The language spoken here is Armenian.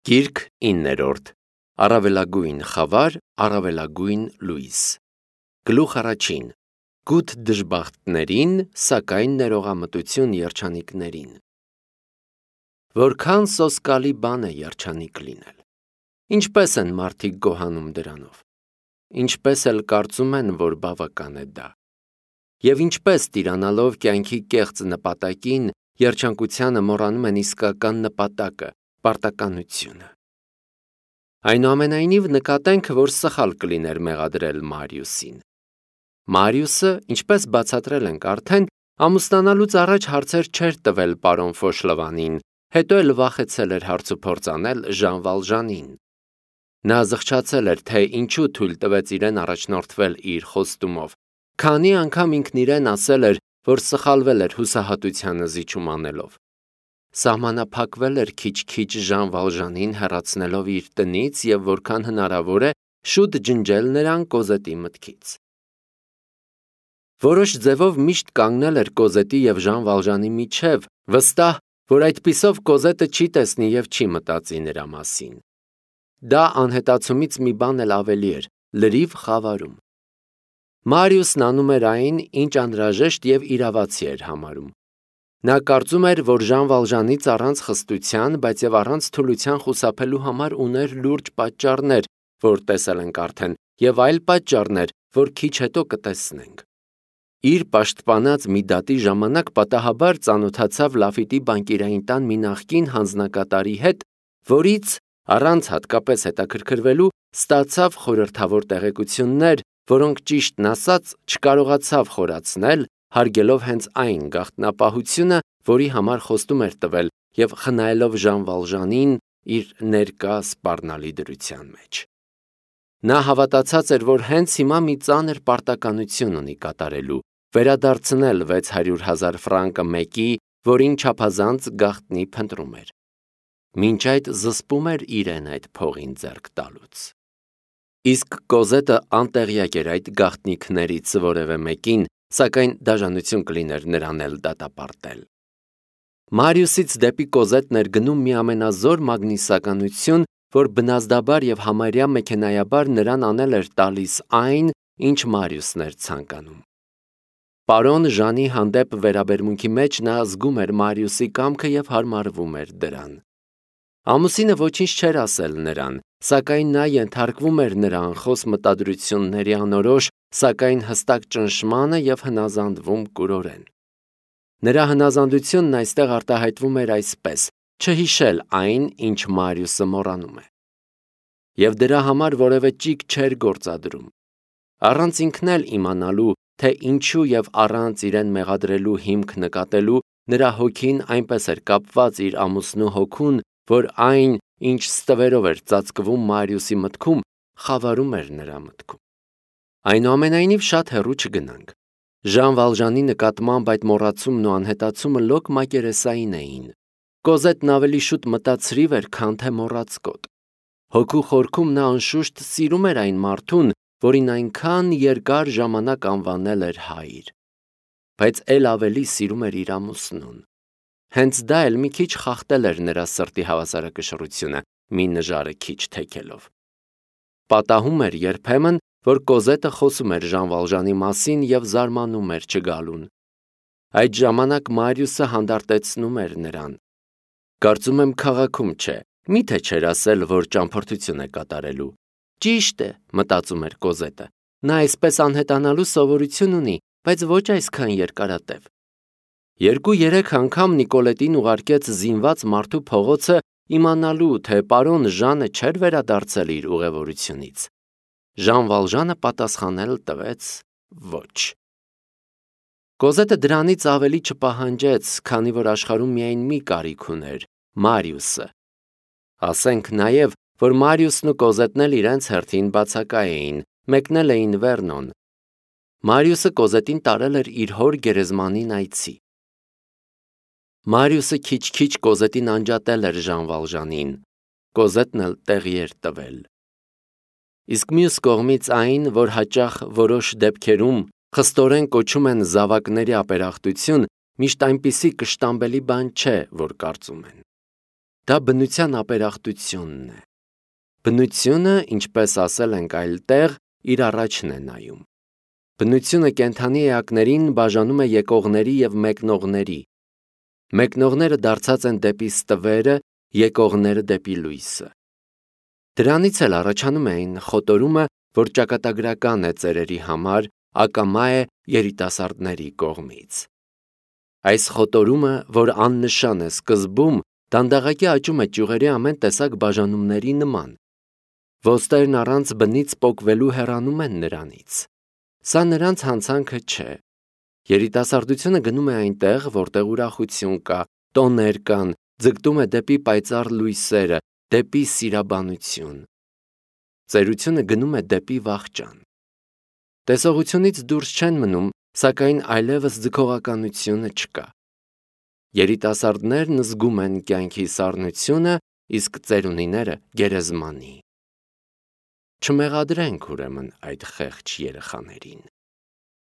Գիրք 9-րդ Առավելագույն խավար, առավելագույն լույս Գլուխ առաջին Գութ դժբախտներին, սակայն ներողամտություն երջանիկներին Որքան սոսկալի բան է երջանիկ լինել Ինչպես են մարդիկ գոհանում դրանով Ինչպես էլ կարծում են, որ բավական է դա Եվ ինչպես տիրանալով կյանքի կեղծ նպատակին, երջանկությանը մոռանում են իսկական նպատակը, պարտականությունը Այնուամենայնիվ նկատենք, որ սխալ կլիներ մեղադրել Մարիուսին Մարիուսը, ինչպես բացատրել ենք արդեն, ամուսնանալուց առաջ հարցեր չէր տվել պարոն Ֆոշլովանին, հետո էլ վախեցել էր հարցուփորձ անել Ժան Վալժանին Նա զղջացել էր, թե ինչու թույլ տվեց իրեն առաջնորդվել իր խոստումով Քանի անգամ ինքն իրեն ասել էր, որ սխալվել էր հուսահատությանը զիջում անելով Սահմանափակվել էր քիչ-քիչ Ժան Վալժանին հեռացնելով իր տնից և որքան հնարավոր է շուտ ջնջել նրան Կոզետի մտքից Որոշ ձևով միշտ կանգնել էր Կոզետի և Ժան Վալժանի միջև, վստահ, որ այդպիսով Կոզետը չի տեսնի և չի մտածի նրա մասին Դա անհետացումից մի բան էլ ավելի էր, լրիվ խավարում Մարիուսն անում էր այն, ինչ անհրաժեշտ և իրավացի էր համարում Նա կարծում էր, որ Ժան Վալժանից առանց խստության, բայց և առանց թուլության խուսափելու համար ուներ լուրջ պատճառներ, որ տեսել ենք արդեն, և այլ պատճառներ, որ քիչ հետո կտեսնենք Իր պաշտպանած մի դատի ժամանակ պատահաբար ծանոթացավ Լաֆիտի բանկիրային տան մի նախկին հանձնակատարի հետ, որից, առանց հատկապես հետաքրքրվելու, ստացավ խորհրդավոր տեղեկություններ, որոնք ճիշտն ասած չկարողացավ խորացնել, հարգելով հենց այն գաղտնապահությունը, որի համար խոստում էր տվել և խնայելով Ժան Վալժանին իր ներկա սպառնալի դրության մեջ Նա հավատացած էր, որ հենց հիմա մի ծանր պարտականություն ունի կատարելու, վերադարձնել 600,000 ֆրանկը մեկի, որին չափազանց գաղտնի փնտրում էր Մինչ այդ զսպում էր իրեն այդ փողին ձեռք տալուց Իսկ Կոզետը անտեղյակ էր այդ գաղտնիքներից որևէ մեկին, սակայն դաժանություն կլիներ նրան էլ դատապարտել Մարիուսից դեպի Կոզետն էր գնում մի ամենազոր մագնիսականություն, որ բնազդաբար և համարյա մեքենայաբար նրան անել էր տալիս այն, ինչ Մարիուսն էր ցանկանում Պարոն Ժանի հանդեպ վերաբերմունքի մեջ նա զգում էր Մարիուսի կամքը և հարմարվում էր դրան Ամուսինը ոչինչ չէր ասել նրան, սակայն նա ենթարկվում էր նրա անխոս մտադրությունների անորոշ, սակայն հստակ ճնշմանը և հնազանդվում կուրորեն Նրա հնազանդությունն այստեղ արտահայտվում էր այսպես. չհիշել այն, ինչ Մարիուսը մոռանում է Եվ դրա համար որևէ ճիգ չէր գործադրում Առանց ինքն էլ իմանալու, թե ինչու և առանց իրեն մեղադրելու հիմք նկատելու, նրա հոգին այնպես էր կապված իր ամուսնու հոգուն, որ այն, ինչ ստվերով էր ծածկվում Մարիուսի մտքում, խավարում էր նրա մտքում Այնուամենայնիվ շատ հեռու չգնանք Ժան Վալժանի նկատմամբ այդ մոռացումն ու անհետացումը լոկ մակերեսային էին Կոզետն ավելի շուտ մտածրիվ էր, քան թե մոռացկոտ Հոգու խորքում նա անշուշտ սիրում էր այն մարդուն, որին այնքան երկար ժամանակ անվանել էր հայր Բայց էլ ավելի սիրում էր իր ամուսնուն Հենց դա էլ մի քիչ խախտել էր նրա սրտի հավասարակշռությունը, մի նժարը քիչ թեքելով Պատահում էր երբեմն, որ Կոզետը խոսում էր Ժան Վալժանի մասին և զարմանում էր չգալուն Այդ ժամանակ Մարիուսը հանդարտեցնում էր նրան Կարծում եմ քաղաքում չէ, միթե չէր ասել, որ ճամփորդություն է կատարելու Ճիշտ է, մտածում էր Կոզետը, նա այսպես անհետանալու սովորություն ունի, բայց ոչ այսքան երկարատև 2-3 անգամ Նիկոլետին ուղարկեց զինված մարդու փողոցը իմանալու, թե պարոն Ժանը չէր վերադարձել իր ուղևորությունից Ժան Վալժանը պատասխանել տվեց ոչ Կոզետը դրանից ավելի չպահանջեց, քանի որ աշխարհում միայն մի կարիք ուներ Մարիուսը Ասենք նաև, որ Մարիուսն ու Կոզետն էլ իրենց հերթին բացակա էին, մեկնել էին Վերնոն Մարիուսը Կոզետին տարել էր իր հոր գերեզմանին այցի Մարիուսը քիչ-քիչ Կոզետին անջատել էր Ժան Վալժանին, Կոզետն էլ տեղի էր տվել Իսկ մյուս կողմից այն, որ հաճախ որոշ դեպքերում խստորեն կոչում են զավակների ապերախտություն, միշտ այնպիսի կշտամբելի բան չէ, որ կարծում են Դա բնության ապերախտությունն է։ Բնությունը, ինչպես ասել ենք այլ տեղ, իր առաջն է նայում։ Բնությունը կենդանի էակներին բաժանում է եկողների և մեկնողների։ Մեկնողները դարձած են դեպի ստվերը, եկողները դեպի լույսը։ Դրանից էլ առաջանում է այն խոտորումը, որ ճակատագրական է ծերերի համար, ակամա է երիտասարդների կողմից։ Այս խոտորումը, որ աննշան է սկզբում, դանդաղակի աճում է ճյուղերի ամեն տեսակ բաժանումների նման։ Ոսկերն առանց բնից պոկվելու հեռանում են նրանից։ Սա նրանց հանցանքը չէ։ Երիտասարդությունը գնում է այնտեղ, որտեղ ուրախություն կա, տոներ կան, ձգտում է դեպի պայծառ լույսերը, դեպի սիրաբանություն։ Ծերությունը գնում է դեպի վախճան։ Տեսողությունից դուրս չեն մնում, սակայն այլևս ձգողականությունը չկա։ Երիտասարդներն զգում են կյանքի սառնությունը, իսկ ծերունիները՝ գերեզմանի։ Չմեղադրենք ուրեմն այդ խեղճ երեխաներին։